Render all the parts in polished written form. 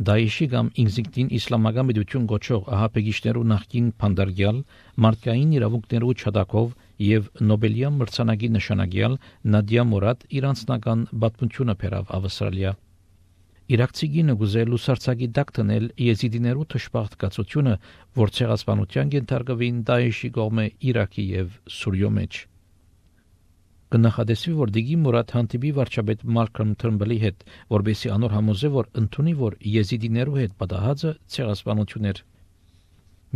Դաեշի կամ ինքնին իսլամական պետություն գոչող ահաբեկիչներու նախկին փանդարգյալ մարդկային իրավունքներու չադակով եւ Նոբելյան մրցանակի նշանակյալ Նադիա Մուրադ իր անձնական պատմությունը բերավ Ավստրալիա։ Իրաքցի գինը գուզել լուսարցակի դակ տնել եզիդիներու թշպախտկացությունը, որ ցեղասպանության ենթարկվին Դաեշի կողմէ Իրաքի եւ Սուրիո մեջ։ Կնախադեсվի, որ Դիգի Մուրադ հանդիպի վարչապետ Մալքոմ Թըրնբլի հետ, որբեսի անոր համոզե, որ ընդունի, որ եզիդիներու հետ պատահածը ցեղասպանություն էր։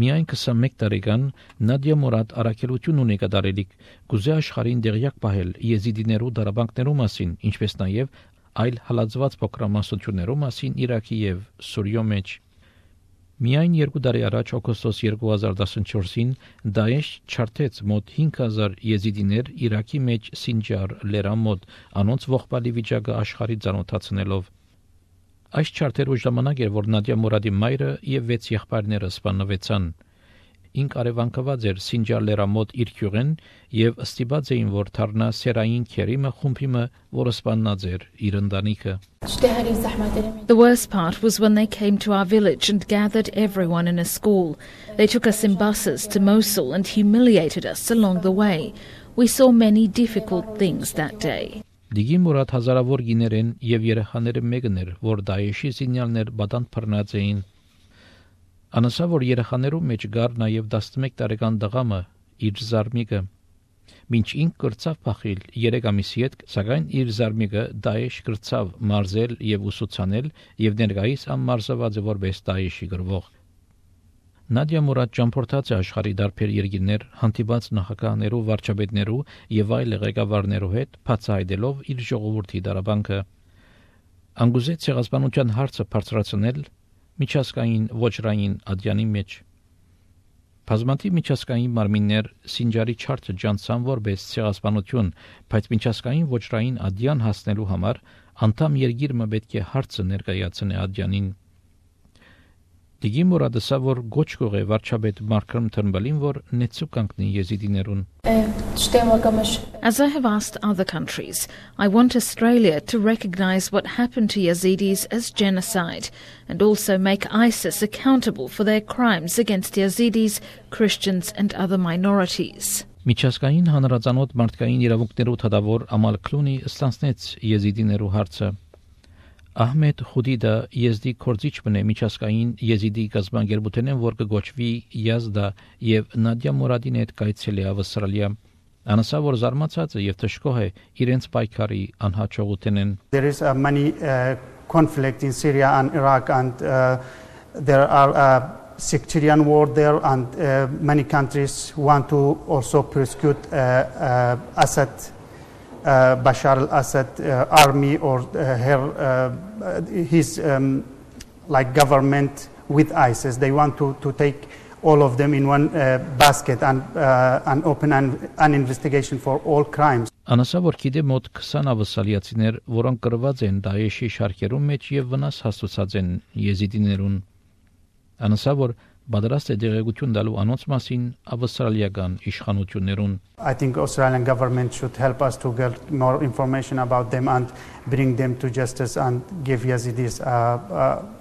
Միայն 21 տարեկան Նադիա Մուրադ առաքելություն ունի կատարելիք, գուզե աշխարհին դեղյակ պահել եզիդիներու դարաբանքներու մասին, ինչպես նաև այլ հալածված փոքրամասնություններու մասին Իրաքի եւ Սուրիո մեջ։ Միայն 2 տարի առաջ օգոստոս 2014-ին Դաեշ չարթեց մոտ 5000 եզիդիներ Իրաքի մեջ Սինջար լերամոտ, անոնց ողբալի վիճակը աշխարհի ցանոթացնելով։ Այս չարթերու ժամանակ էր, որ Նադիա Մուրադի մայրը եւ 6 եղբայրները սպանվեցան։ Ինք արևանկված էր Սինջար լերամոտ իր քյուղեն եւ ստիպած էին, որ թարնա սերային քերիմը խումբիմը, որը սպաննած էր իր ընտանիքը։ The worst part was when they came to our village and gathered everyone in a school. They took us in buses to Mosul and humiliated us along the way. We saw many difficult things that day. Դիգի Մուրադ հազարավոր գիներեն եւ երեխաները մեկն էր, որ Դաեշի զինյալներ բադան բռնած էին։ Անասա, որ երեխաներու մեջ գար նաև 11 տարեկան դղամը իր զարմիկը, մինչ ինք կրծավ փախիլ 3 ամիսի հետ, սակայն իր զարմիկը Դաեշ կրծավ մարզել եւ ուսուցանել եւ ներկայիս ամմարզված է որպես Դաեշի գրվող։ Նադիա Մուրադ ճամփորդած է աշխարհի դարբեր երկիրներ, հանդիպած նախագահներու, վարչապետներու եւ այլ ղեկավարներու հետ, բացահայտելով իր ժողովրդի դարաբանքը։ Անգուզե ցեղասպանության հարցը բարձրացնել միջազգային ոչրային ադյանի մեջ։ Բազմաթիվ միջազգային մարմիններ Սինջարի չարթը ջանցան որպես ցեղասպանություն, բայց միջազգային ոչրային ադյան հասնելու համար անդամ երկիրը պետք է հարցը ներկայացնի ադյանին։ Դիգի Մուրադը սա որ գոչ կողե վարչապետ Մալքոմ Թըրնբլին, որ նեցու կանգնի եզիդիներուն։ As I have asked other countries, I want Australia to recognise what happened to Yazidis as genocide and also make ISIS accountable for their crimes against Yazidis, Christians and other minorities. Միջազգային հանրազանոթ մարդկային իրավունքներու թադավոր Ամալ Քլունի ստանցնեց եզիդիներու հարցը։ Ահմեդ Խուդիդը եզդի կորձիչ բնե միջազգային եզիդի գազբանգերբութենեն, որ կգոչվի Յազդա եւ Նադիա Մուրադին հետ կայցելի Ավստրալիա։ Անասա որ զարմացած է եւ թշկող է իրենց պայքարի անհաջողութենեն։ There is many conflict in Syria and Iraq and there are sectarian war there and many countries want to also persecute Assad Bashar al-Assad army or his like government with ISIS. They want to take all of them in one basket and open an investigation for all crimes. Անասա որ գիտե մոտ 20 ավսալիացիներ, որոնք կրված են Դաեշի շարքերում մեջ եւ վնաս հասցուցած են եզիդիներուն։ Անասա որ պատրաստ է դեղեցություն տալու անոնց մասին ավստրալիական իշխանություններուն։ I think Australian government should help us to get more information about them and bring them to justice and give Yazidis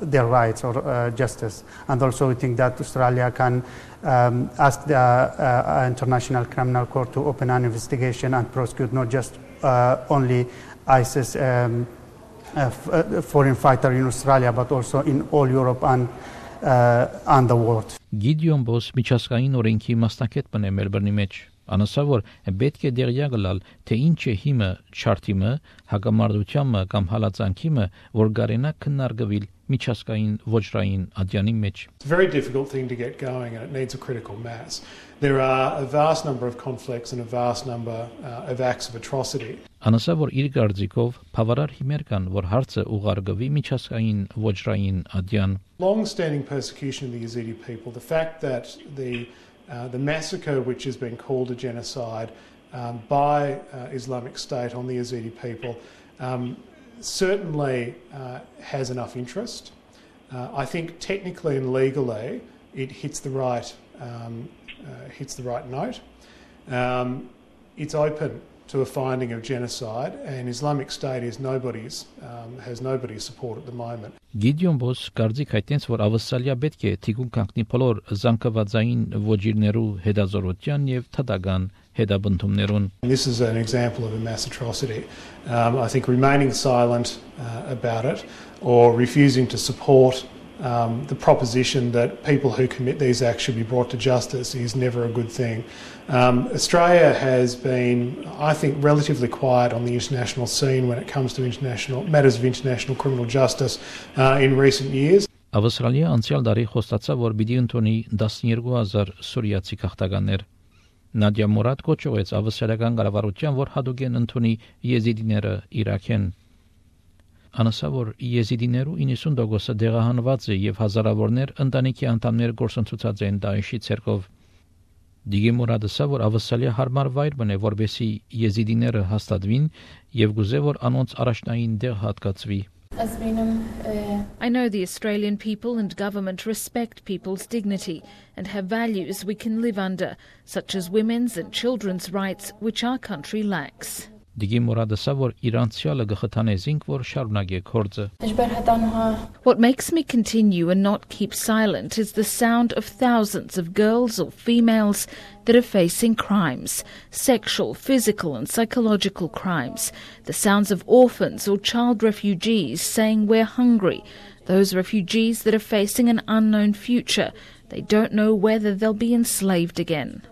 their rights or justice. And also we think that Australia can ask the International Criminal Court to open an investigation and prosecute not just only ISIS foreign fighter in Australia but also in all Europe and the world. Գիդեոն Բոս միջազգային օրենքի մասնակետ բնե Մելբուրնի մեջ։ Անասա որ պետք է դերյակ գալ, թե ինչ է հիմը չարթիմը, հակամարտությունը կամ հալածանքիմը, որ գարենա քննարկվել միջազգային ոչրային ադյանի մեջ։ It's a very difficult thing to get going and it needs a critical mass. There are a vast number of conflicts and a vast number of acts of atrocity. Անասա որ իր գարձիկով բավարար հիմեր կան, որ հարցը ուղարկվի միջազգային ոչրային ադյան։ Long-standing persecution of the Yazidi people, the fact that the massacre which has been called a genocide by Islamic State on the Yazidi people certainly has enough interest. I think technically and legally it hits the right note. It's open to a finding of genocide, and Islamic State is has nobody's support at the moment. Գիդեոն Բոս կարծիք հայտնեց, որ ավսալիա պետք է թիկուն կանգնի բոլոր զանգվածային ոճիրներու հետազորության եւ թադական հետաբնդումներուն. This is an example of a mass atrocity. I think remaining silent about it or refusing to support the proposition that people who commit these acts should be brought to justice is never a good thing. Australia has been, I think, relatively quiet on the international scene when it comes to matters of international criminal justice in recent years. Ավստրալիա անցյալ տարի խոստացավ, որ պիտի ընդունի 12,000 սուրիացի քաղաքականներ. Նադիա Մուրադ կոչեց ավստրալիական կառավարության, որ հատուկեն ընդունի եզիդիները Իրաքեն. Անասա, որ եզիդիներու 90%-ը դեղահանված է եւ հազարավորներ ընտանիքի անդամներ գործընթացած են Դաեշի ցերկով. Դիգի Մուրադը ասա, որ Ավստրալիա հարմար վայր բնե, որբեսի եզիդիները հաստատվին եւ գուզե, որ անոնց առաջնային դեղ հատկացվի. I know the Australian people and government respect people's dignity and have values we can live under, such as women's and children's rights, which our country lacks. Դիգի Մուրադը ասա, որ իրանցիալը գխթանեզինք, որ շարունակե կորձը. What makes me continue and not keep silent is the sound of thousands of girls or females that are facing crimes, sexual, physical and psychological crimes, the sounds of orphans or child refugees saying we're hungry, those refugees that are facing an unknown future, they don't know whether they'll be enslaved again.